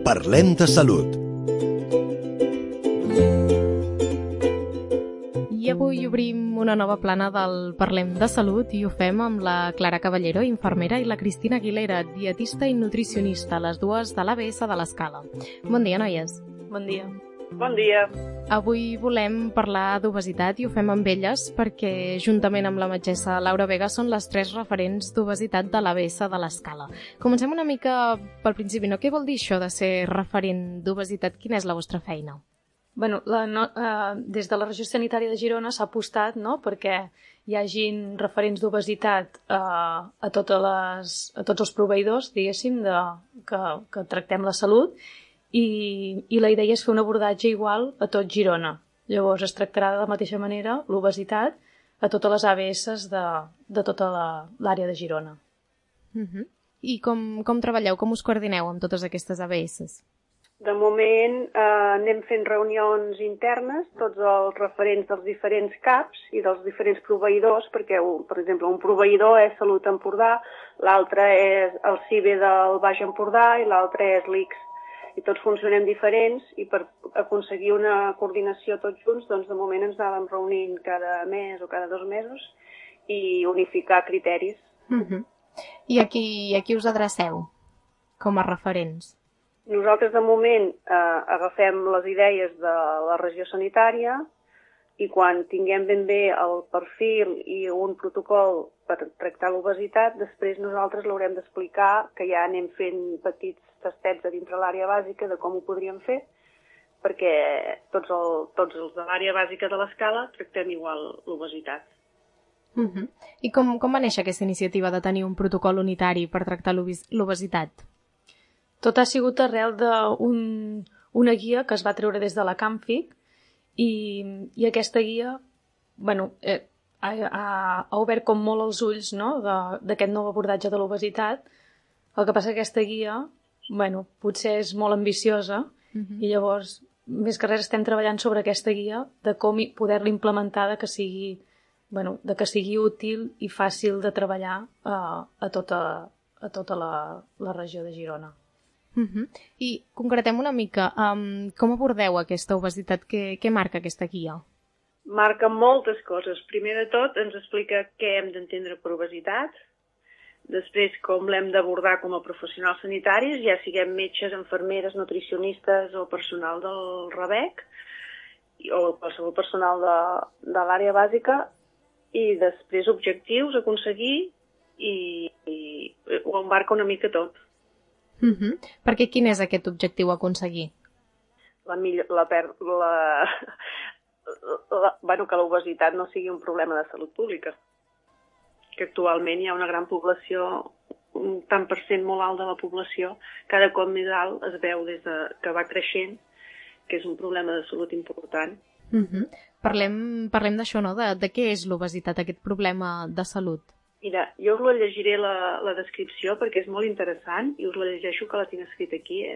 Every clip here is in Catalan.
Parlem de salut. I avui obrim una nova plana del Parlem de Salut i ho fem amb la Clara Caballero, infermera, i la Cristina Aguilera, dietista i nutricionista, les dues de l'ABS de l'Escala. Bon dia, noies. Bon dia. Bon dia. Avui volem parlar d'obesitat i ho fem amb elles perquè, juntament amb la metgessa Laura Vega, són les tres referents d'obesitat de l'ABS de l'Escala. Comencem una mica pel principi, no? Què vol dir això de ser referent d'obesitat? Quina és la vostra feina? Bueno, des de la regió sanitària de Girona s'ha apostat, no?, perquè hi hagin referents d'obesitat a tots els proveïdors, diguéssim, que tractem la salut, i la idea és fer un abordatge igual a tot Girona. Llavors es tractarà de la mateixa manera l'obesitat a totes les ABS de tota l'àrea de Girona. I com treballeu, com us coordineu amb totes aquestes ABS? De moment anem fent reunions internes, tots els referents dels diferents CAPs i dels diferents proveïdors, perquè, per exemple, un proveïdor és Salut Empordà, l'altre és el CIBE del Baix Empordà i l'altre és l'ICS. I tots funcionem diferents i per aconseguir una coordinació tots junts, doncs de moment ens anàvem reunint cada mes o cada 2 mesos i unificar criteris. I a qui us adreceu com a referents? Nosaltres, de moment, agafem les idees de la regió sanitària i quan tinguem ben bé el perfil i un protocol per tractar l'obesitat, després nosaltres l'haurem d'explicar, que ja anem fent petits tastets a dintre l'àrea bàsica de com ho podríem fer, perquè tots els de l'àrea bàsica de l'Escala tractem igual l'obesitat. I com va néixer aquesta iniciativa de tenir un protocol unitari per tractar l'obesitat? Tot ha sigut arrel d'una guia que es va treure des de la Camfic i aquesta guia ha obert com molt els ulls, no?, d'aquest nou abordatge de l'obesitat. El que passa que aquesta guia potser és molt ambiciosa i llavors, més que res, estem treballant sobre aquesta guia de com poder-la implementar, de que sigui útil i fàcil de treballar a tota la regió de Girona. I concretem una mica, com abordeu aquesta obesitat? Què marca aquesta guia? Marca moltes coses. Primer de tot ens explica què hem d'entendre per obesitat, després com l'hem d'abordar com a professionals sanitaris, ja siguem metges, infermeres, nutricionistes o personal del RAVEC o qualsevol personal de l'àrea bàsica, i després objectius a aconseguir i ho embarca una mica tot. Perquè quin és aquest objectiu a aconseguir? Que l'obesitat no sigui un problema de salut pública. Que actualment hi ha una gran població, un tant per cent molt alt de la població, cada cop més alt es veu des que va creixent, que és un problema de salut important. Parlem d'això, no? De què és l'obesitat, aquest problema de salut? Mira, jo us la llegiré la descripció perquè és molt interessant i us la llegeixo, que la tinc escrita aquí,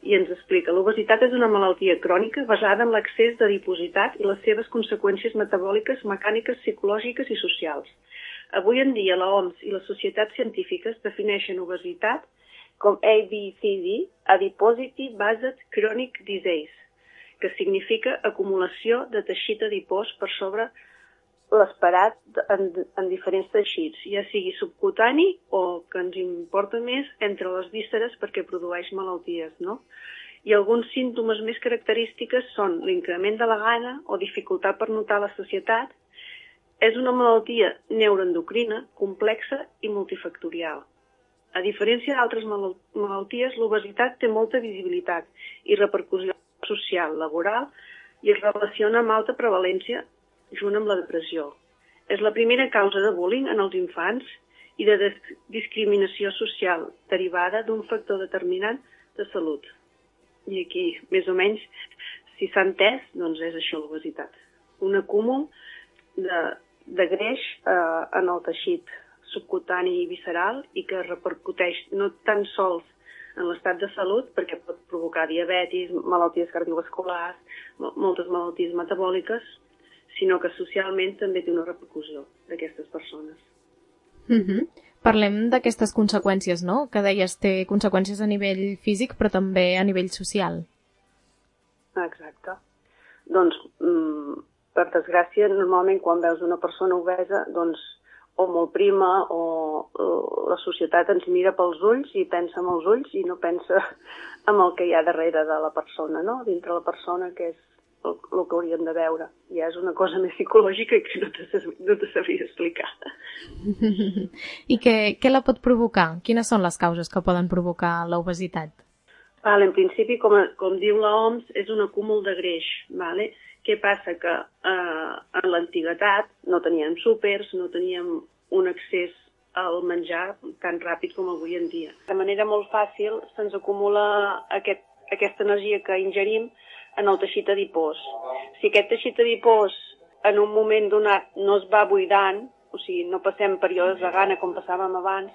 i ens explica: l'obesitat és una malaltia crònica basada en l'excés d'adipositat i les seves conseqüències metabòliques, mecàniques, psicològiques i socials. Avui en dia l'OMS i les societats científiques defineixen obesitat com ABCD, Adiposity Based Chronic Disease, que significa acumulació de teixit adipós per sobre l'esperat en diferents teixits, ja sigui subcutani o, que ens importa més, entre les vísceres perquè produeix malalties, no? I alguns símptomes més característiques són l'increment de la gana o dificultat per notar la sacietat. És una malaltia neuroendocrina, complexa i multifactorial. A diferència d'altres malalties, l'obesitat té molta visibilitat i repercussió social, laboral, i es relaciona amb alta prevalència junt amb la depressió. És la primera causa de bullying en els infants i de discriminació social derivada d'un factor determinant de salut. I aquí, més o menys, si s'ha entès, doncs és això l'obesitat. Un acúmul de greix en el teixit subcutani i visceral i que repercuteix no tan sols en l'estat de salut, perquè pot provocar diabetis, malalties cardiovasculars, moltes malalties metabòliques, sinó que socialment també té una repercussió d'aquestes persones. Parlem d'aquestes conseqüències, no? Que deies, té conseqüències a nivell físic, però també a nivell social. Exacte. Doncs, per desgràcia, normalment quan veus una persona obesa, doncs, o molt prima o la societat ens mira pels ulls i pensa amb els ulls i no pensa en el que hi ha darrere de la persona, no? Dintre la persona, que és el que hauríem de veure. Ja és una cosa més psicològica que no te sabria explicar. I què la pot provocar? Quines són les causes que poden provocar l'obesitat? En principi, com diu l'OMS, és un acúmul de greix. Què passa? Que en l'antiguitat no teníem súpers, no teníem un accés al menjar tan ràpid com avui en dia. De manera molt fàcil se'ns acumula aquesta energia que ingerim en el teixit adipós. Si aquest teixit adipós en un moment donat no es va buidant, o sigui, no passem períodes de gana com passàvem abans,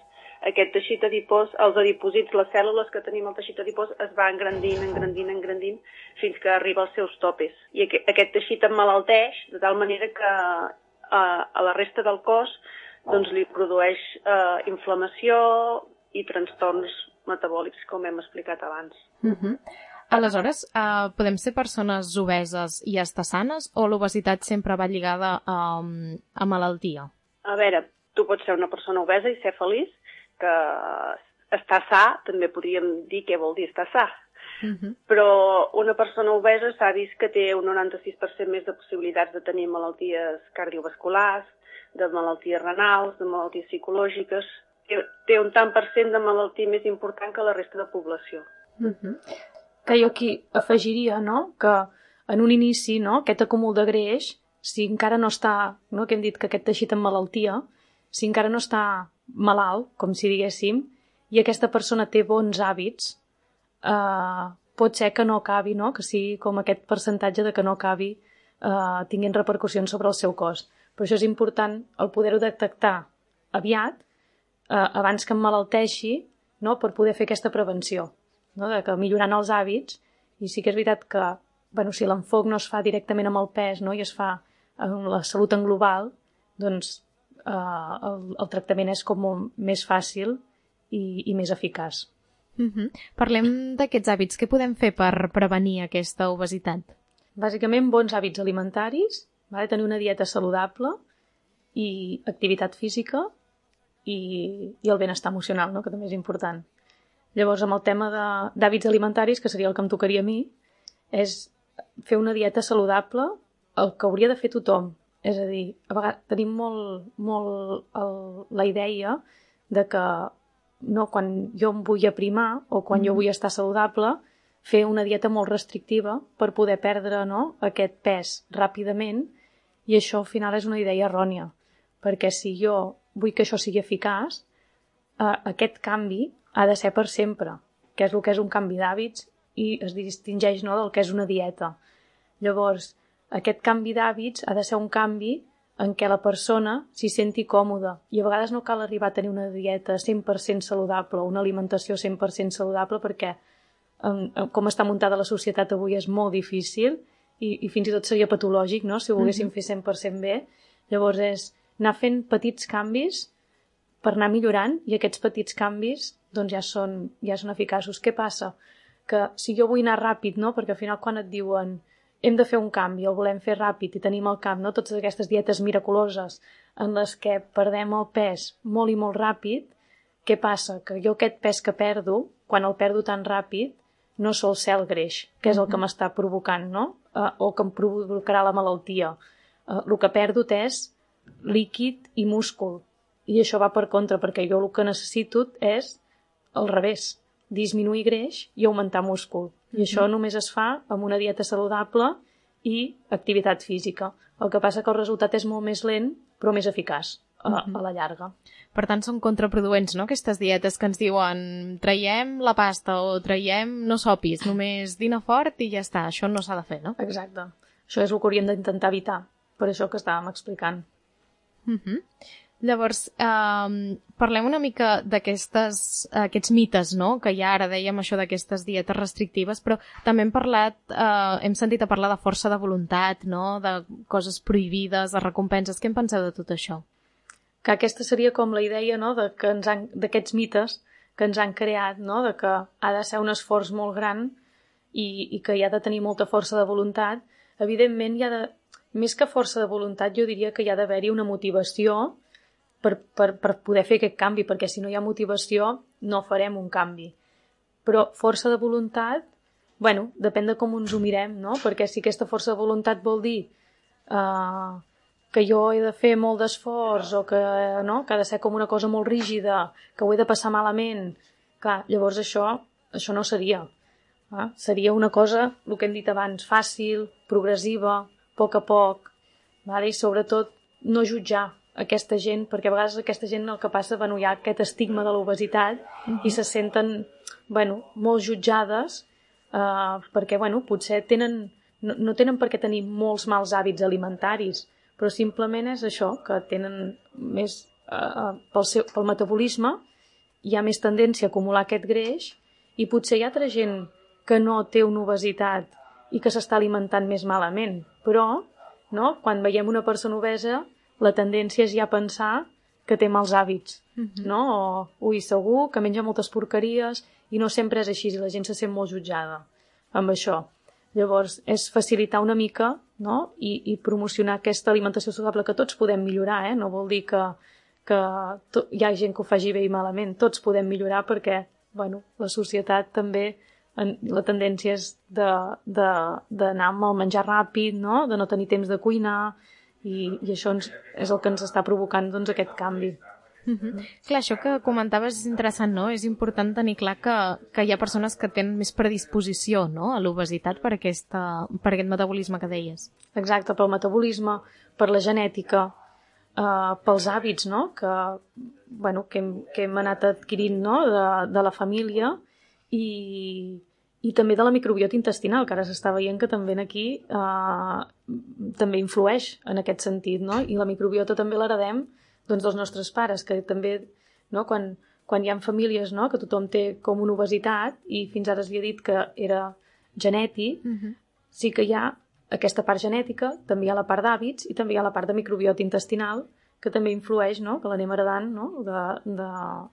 aquest teixit adipós, els adipòsits, les cèl·lules que tenim al teixit adipós es va engrandint, fins que arriba als seus topes. I aquest teixit emmalalteix de tal manera que a la resta del cos doncs, li produeix inflamació i trastorns metabòlics, com hem explicat abans. Aleshores, podem ser persones obeses i estar sanes o l'obesitat sempre va lligada a malaltia? A veure, tu pots ser una persona obesa i ser feliç, que estar sa, també podríem dir què vol dir estar sa. Però una persona obesa s'ha vist que té un 96% més de possibilitats de tenir malalties cardiovasculars, de malalties renals, de malalties psicològiques. Té un tant per cent de malaltia més important que la resta de població. Que jo aquí afegiria, no?, que en un inici, no?, aquest acúmul de greix, si encara no està, no?, que hem dit que aquest teixit en malaltia, si encara no està malalt, com si diguéssim, i aquesta persona té bons hàbits, pot ser que no acabi, no?, que sigui com aquest percentatge de que no acabi tinguent repercussions sobre el seu cos. Per això és important el poder-ho detectar aviat, abans que emmalalteixi, no?, per poder fer aquesta prevenció, no?, de que millorant els hàbits, i sí que és veritat que, bueno, si l'enfoc no es fa directament amb el pes, no?, i es fa amb la salut en global, doncs el tractament és com molt més fàcil i més eficaç. Parlem d'aquests hàbits. Què podem fer per prevenir aquesta obesitat? Bàsicament, bons hàbits alimentaris, tenir una dieta saludable i activitat física i el benestar emocional, no?, que també és important. Llavors, amb el tema d'hàbits alimentaris, que seria el que em tocaria a mi, és fer una dieta saludable, el que hauria de fer tothom. És a dir, a vegades tenim molt la idea de que no, quan jo em vull aprimar o quan jo vull estar saludable, fer una dieta molt restrictiva per poder perdre, no?, aquest pes ràpidament, i això al final és una idea errònia, perquè si jo vull que això sigui eficaç, aquest canvi ha de ser per sempre, que és el que és un canvi d'hàbits i es distingeix, no?, del que és una dieta. Llavors, aquest canvi d'hàbits ha de ser un canvi en què la persona s'hi senti còmoda. I a vegades no cal arribar a tenir una dieta 100% saludable, una alimentació 100% saludable, perquè com està muntada la societat avui és molt difícil i fins i tot seria patològic, no?, si ho volguéssim fer 100% bé. Llavors és anar fent petits canvis per anar millorant, i aquests petits canvis doncs ja són eficaços. Què passa? Que si jo vull anar ràpid, no?, perquè al final quan et diuen hem de fer un canvi, el volem fer ràpid i tenim al camp, no?, totes aquestes dietes miraculoses en les que perdem el pes molt i molt ràpid, què passa? Que jo aquest pes que perdo, quan el perdo tan ràpid, no sol ser el greix, que és el que m'està provocant, no?, o que em provocarà la malaltia. El que perdo és líquid i múscul, i això va per contra, perquè jo el que necessito és al revés, disminuir greix i augmentar múscul. I això només es fa amb una dieta saludable i activitat física. El que passa que el resultat és molt més lent, però més eficaç a la llarga. Per tant, són contraproduents, no?, aquestes dietes que ens diuen traiem la pasta o traiem no sopis, només dina fort i ja està. Això no s'ha de fer, no? Exacte. Això és el que hauríem d'intentar evitar, per això que estàvem explicant. Llavors, parlem una mica d'aquests mites, no?, que ja ara dèiem això d'aquestes dietes restrictives, però també hem sentit a parlar de força de voluntat, no?, de coses prohibides, de recompenses. Què en penseu de tot això? que aquesta seria com la idea, no?, d'aquests mites que ens han creat, no?, de que ha de ser un esforç molt gran i que hi ha de tenir molta força de voluntat. Evidentment, més que força de voluntat, jo diria que hi ha d'haver-hi una motivació per poder fer aquest canvi, perquè si no hi ha motivació no farem un canvi. Però força de voluntat, bueno, depèn de com ens ho mirem, no? Perquè si aquesta força de voluntat vol dir que jo he de fer molt d'esforç o que ha de ser com una cosa molt rígida, que ho he de passar malament, clar, llavors això no seria. Seria una cosa, el que hem dit abans, fàcil, progressiva, a poc, i sobretot no jutjar aquesta gent, perquè a vegades aquesta gent el que passa, hi ha aquest estigma de l'obesitat i se senten molt jutjades perquè potser no tenen per què tenir molts mals hàbits alimentaris, però simplement és això, que tenen més pel metabolisme hi ha més tendència a acumular aquest greix i potser hi ha altra gent que no té una obesitat i que s'està alimentant més malament, però quan veiem una persona obesa la tendència és ja pensar que té mals hàbits, no? O segur que menja moltes porqueries i no sempre és així i la gent se sent molt jutjada amb això. Llavors és facilitar una mica, no?, i promocionar aquesta alimentació saludable que tots podem millorar, no vol dir que hi ha gent que ho faci bé i malament, tots podem millorar perquè la societat també la tendència és d'anar amb el menjar ràpid, no?, de no tenir temps de cuinar i això és el que ens està provocant aquest canvi. Clar, això que comentaves és interessant, no? És important tenir clar que hi ha persones que tenen més predisposició, no?, a l'obesitat per aquest metabolisme que deies. Exacte, pel metabolisme, per la genètica, pels hàbits, no?, que hem anat adquirint, no?, de la família i també de la microbiota intestinal, que ara s'està veient que també aquí també influeix en aquest sentit, no? I la microbiota també l'heredem dels nostres pares, que també, no, quan hi ha famílies, no, que tothom té com una obesitat i fins ara s'havia dit que era genètic, sí que hi ha aquesta part genètica, també hi ha la part d'hàbits i també hi ha la part de microbiota intestinal que també influeix, no?, que l'anem heredant, no?,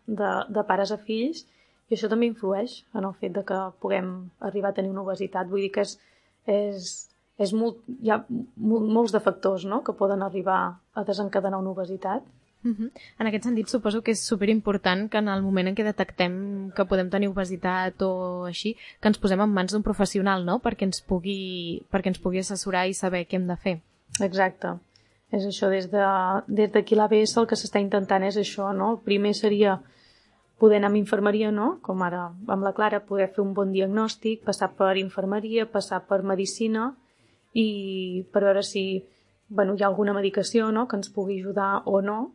de pares a fills, i això també influeix en el fet de que puguem arribar a tenir una obesitat. Vull dir que hi ha molts de factors, no?, que poden arribar a desencadenar una obesitat. En aquest sentit, suposo que és superimportant que en el moment en què detectem que podem tenir obesitat o així, que ens posem en mans d'un professional, no?, perquè ens pugui assessorar i saber què hem de fer. Exacte. És això, des d'aquí l'ABS el que s'està intentant és això, no? El primer seria poder anar amb infermeria, no?, com ara amb la Clara, poder fer un bon diagnòstic, passar per infermeria, passar per medicina i per veure si hi ha alguna medicació, no?, que ens pugui ajudar o no.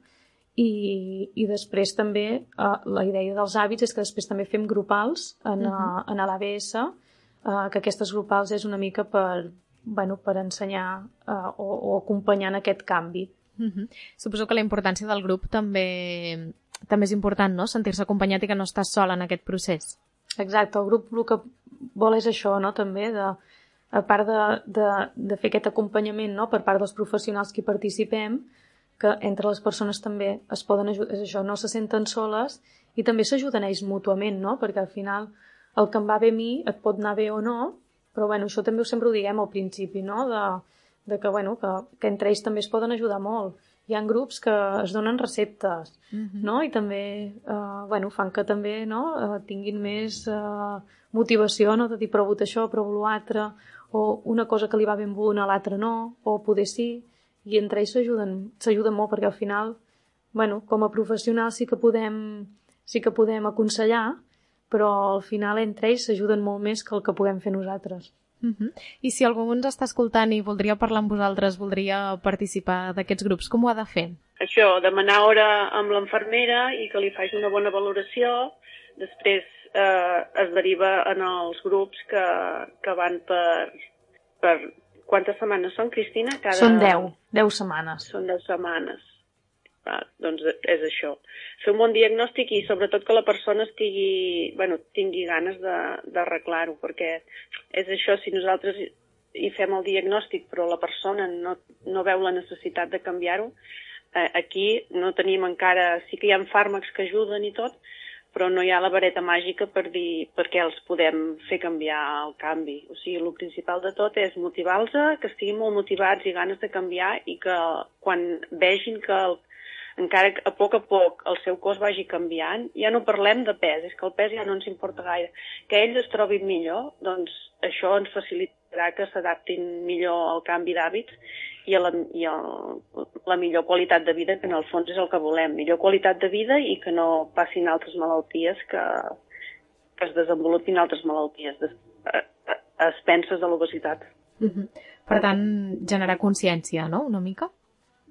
I després també la idea dels hàbits és que després també fem grupals en l'ABS, que aquestes grupals és una mica per ensenyar o acompanyar en aquest canvi. Suposo que la importància del grup també és important, no?, sentir-se acompanyat i que no estàs sol en aquest procés. Exacte, el grup el que vol és això, no?, també, a part de fer aquest acompanyament, no?, per part dels professionals que hi participem, que entre les persones també es poden ajudar, és això, no se senten soles i també s'ajuden ells mútuament, no?, perquè al final el que em va bé a mi et pot anar bé o no, però això també sempre ho diguem al principi, no?, que entre ells també es poden ajudar molt. Hi ha grups que es donen receptes, no?, i també fan que també, no?, tinguin més motivació, no?, de dir provo això, provo l'altre, o una cosa que li va ben bona a l'altre no, o poder sí, i entre ells s'ajuden molt perquè al final, com a professionals sí que podem aconsellar, però al final entre ells s'ajuden molt més que el que puguem fer nosaltres. I si algú ens està escoltant i voldria parlar amb vosaltres, voldria participar d'aquests grups, com ho ha de fer? Això, demanar hora amb l'infermera i que li faci una bona valoració, després es deriva en els grups que van per quantes setmanes són, Cristina? Són 10 setmanes. Són 10 setmanes. Doncs és això. Fer un bon diagnòstic i sobretot que la persona tingui ganes d'arreglar-ho, perquè és això, si nosaltres hi fem el diagnòstic però la persona no veu la necessitat de canviar-ho, aquí no tenim encara... Sí que hi ha fàrmacs que ajuden i tot, però no hi ha la vareta màgica per dir per què els podem fer canviar el canvi. O sigui, el principal de tot és motivar-los, que estiguin molt motivats i ganes de canviar i que quan vegin que encara que a poc el seu cos vagi canviant, ja no parlem de pes, és que el pes ja no ens importa gaire. Que ells es trobin millor, doncs això ens facilitarà que s'adaptin millor al canvi d'hàbits i a la millor qualitat de vida, que en el fons és el que volem. Millor qualitat de vida i que no passin altres malalties, que es desenvolupin altres malalties a expenses de l'obesitat. Per tant, generar consciència, no?, una mica?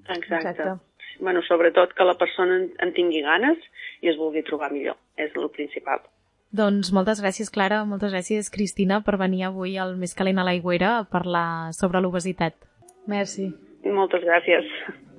Exacte. Bueno, sobretot que la persona en tingui ganes i es vulgui trobar millor, és el principal. Doncs moltes gràcies, Clara, moltes gràcies, Cristina, per venir avui al Més calent a l'aigüera a parlar sobre l'obesitat. Merci. Moltes gràcies.